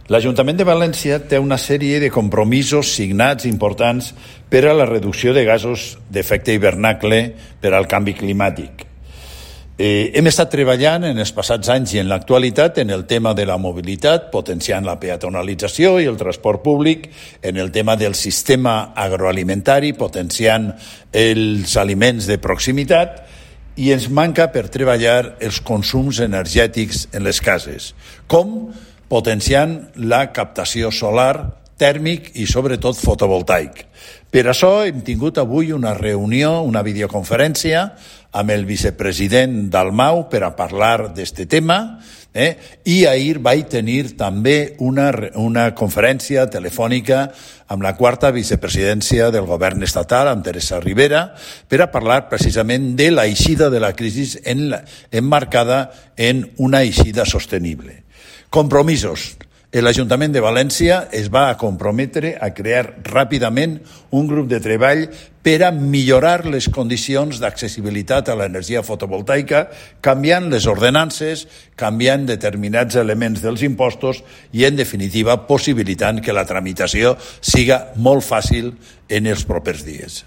L'Ajuntament de València té una sèrie de compromisos signats importants per a la reducció de gasos d'efecte hivernacle per al canvi climàtic. Hem estat treballant en els passats anys i en l'actualitat en el tema de la mobilitat, potenciant la peatonalització i el transport públic, en el tema del sistema agroalimentari, potenciant els aliments de proximitat, i ens manca per treballar els consums energètics en les cases, com potenciant la captació solar, tèrmic i sobretot fotovoltaic. Per això hem tingut avui una reunió, una videoconferència amb el vicepresident Dalmau per a parlar d'aquest tema, i ahir vaig tenir també una conferència telefònica amb la quarta vicepresidència del govern estatal, amb Teresa Rivera, per a parlar precisament de l'eixida de la crisi emmarcada en una eixida sostenible. Compromisos. L'Ajuntament de València es va comprometre a crear ràpidament un grup de treball per a millorar les condicions d'accessibilitat a l'energia fotovoltaica, canviant les ordenances, canviant determinats elements dels impostos i, en definitiva, possibilitant que la tramitació siga molt fàcil en els propers dies.